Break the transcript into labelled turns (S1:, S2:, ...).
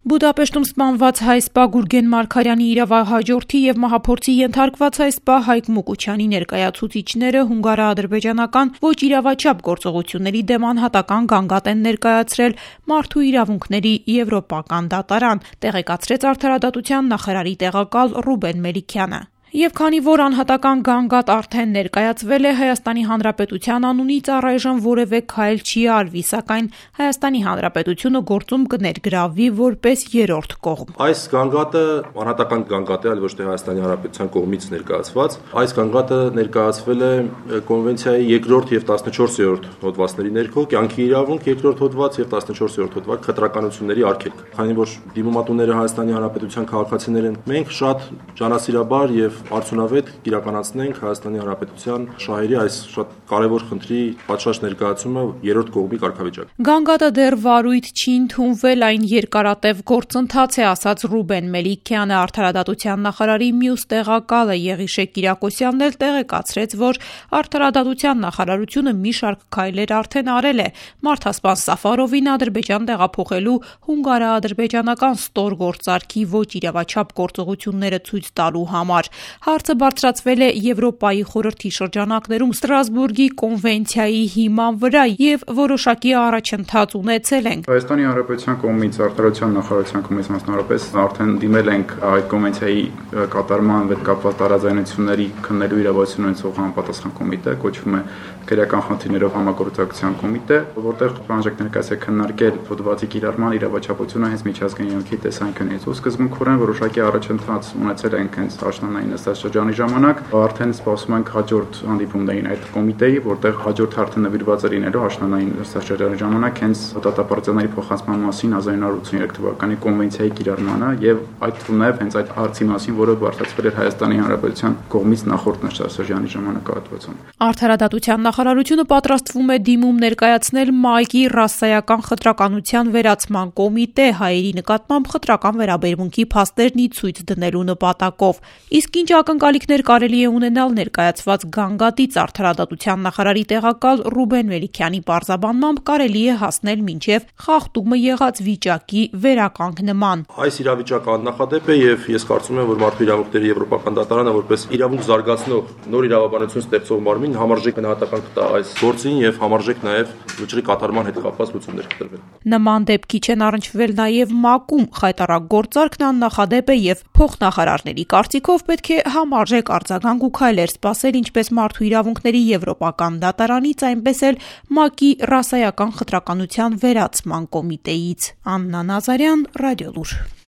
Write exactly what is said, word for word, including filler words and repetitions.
S1: Բուդապեշտում սպանված հայ սպա Գուրգեն Մարգարյանի իրավահաջորդի և մահափորձի ենթարկված հայ սպա Հայկ Մուկուչյանի ներկայացուցիչները հունգարա-ադրբեջանական ոչ իրավաչափ գործողությունների դեմ անհատական գանգատ են ներկայացրել Մարդու իրավունքների եվրոպական դատարան, տեղեկացրեց Արդարադատության նախարարի տեղակալ Ռուբեն Մելիքյանը։ Եվ քանի որ անհատական գանգատ արդեն ներկայացվել է, Հայաստանի Հանրապետության անունից առայժմ որևէ քայլ չի արվի, սակայն Հայաստանի Հանրապետությունը գործում կներգրավվի որպես երրորդ կողմ։
S2: Այս գանգատը անհատական գանգատ է, այլ ոչ թե Հայաստանի Հանրապետության կողմից ներկայացված։ Այս գանգատը ներկայացվել է կոնվենցիայի երկրորդ եւ տասնչորսերորդ հոդվածների ներքո, կյանքի իրավունք երկրորդ հոդված եւ տասնչորսերորդ հոդված խտրականությունների արգելք։ Քանի որ դիմումատուները Հայաստանի Հանրապետության քաղաքացիներ են, մենք շատ ջանասիրաբար եւ արդյունավետ կիրականացնենք Հայաստանի Հանրապետության շահերի այս շատ կարևոր խնդրի պատշաճ ներկայացումը երրորդ կողմի կարգավիճակ։
S1: Գանգատը դեռ վարույթ չի ընդունվել, այն երկարատև գործընթաց է, ասաց Ռուբեն Մելիքյանը, Արդարադատության նախարարի մյուս տեղակալը Եղիշե Կիրակոսյանն էլ տեղեկացրեց, որ Արդարադատության նախարարությունը մի շարք քայլեր արդեն արել է մարդասպան Սաֆարովին Ադրբեջան տեղափոխելու հունգարա-ադրբեջանական ստորգործարքի ոչ իրավաչափ գործողությունները ցույց տալու համար։ Հարցը բարձրացվել է Եվրոպայի խորհրդի շրջանակներում Ստրասբուրգի կոնվենցիայի հիման վրա եւ որոշակի առաջընթաց ունեցել ենք։
S3: Հայաստանի Հանրապետության կողմից Արդարության նախարարության կողմից մասնավորապես արդեն դիմել ենք այդ կոնվենցիայի կատարման հետ կապված տարաձայնությունների քննելու իրավասություն ունեցող համապատասխան կոմիտե, կոչվում է քրեական խնդիրներով համագործակցության կոմիտե, որտեղ բանջարք ներկայացել է քննարկել հոդվածի կիրառման իրավաչափությունը հենց միջազգային յանքի տեսանկյունից։ Ու սկզբունքորեն որոշակի առաջընթաց ունեցել ենք հենց աշնանային նստաշրջանի ժամանակ, արդեն սպասում ենք հաջորդ հանդիպումներին այդ կոմիտեի, որտեղ հաջորդ արդեն նվիրված է լինելու աշնանային նստաշրջանի ժամանակ հենց դատապարտությունների փոխանցման մասին հազար իննյոց ութսուներեք թվականի կոնվենցիայի կիրառմանը եւ այդ թվում նաեւ հենց այդ հարցի մասին, որը բարձրացվել էր Հայաստանի Հանրապետության կողմից նախորդ նստաշրջանի ժամանակահատվածում։
S1: Արդարադատության նախարարությունը պատրաստվում է դիմում ներկայացնել ՄԱԿ-ի ռասայական խտրականության վերացման կոմիտե հայերի նկատմամբ խտրական վերաբերմունքի փաստերն ի ցույց դնելու նպատակով։ Իսկ ինչ ակնկալիքներ կարելի է ունենալ ներկայացված գանգատից, Արդարադատության նախարարի տեղակալ Ռուբեն Մելիքյանի պարզաբանմամբ կարելի է հասնել մինչև խախտումը եղած վիճակի վերականգնման։
S2: Այս իրավիճակը աննախադեպ է եւ ես կարծում եմ, որ Մարդու իրավունքների եվրոպական դատարանը որպես իրավունք զարգացնող նոր իրավաբանություն ստեղծող մարմին համարժեք գնահատական կտա այս գործին եւ համարժեք նաեւ վճռի կատարման հետ կապված լուծումներ կտրվեն։
S1: Նման դեպքի չեն առնչվել նաեւ ՄԱԿ-ում խայտառակ գործարքն աննախադեպ է եւ փոխնախարարների կարծիքով պետք է համարժեք արձագանք ու քայլեր սպասել ինչպես Մարդու իրավունքների եվրոպական դատարանից, այնպես էլ ՄԱԿ-ի ռասայական խտրականության վերացման կոմիտեից։ Աննա Նազարյան, Ռադիոլուր։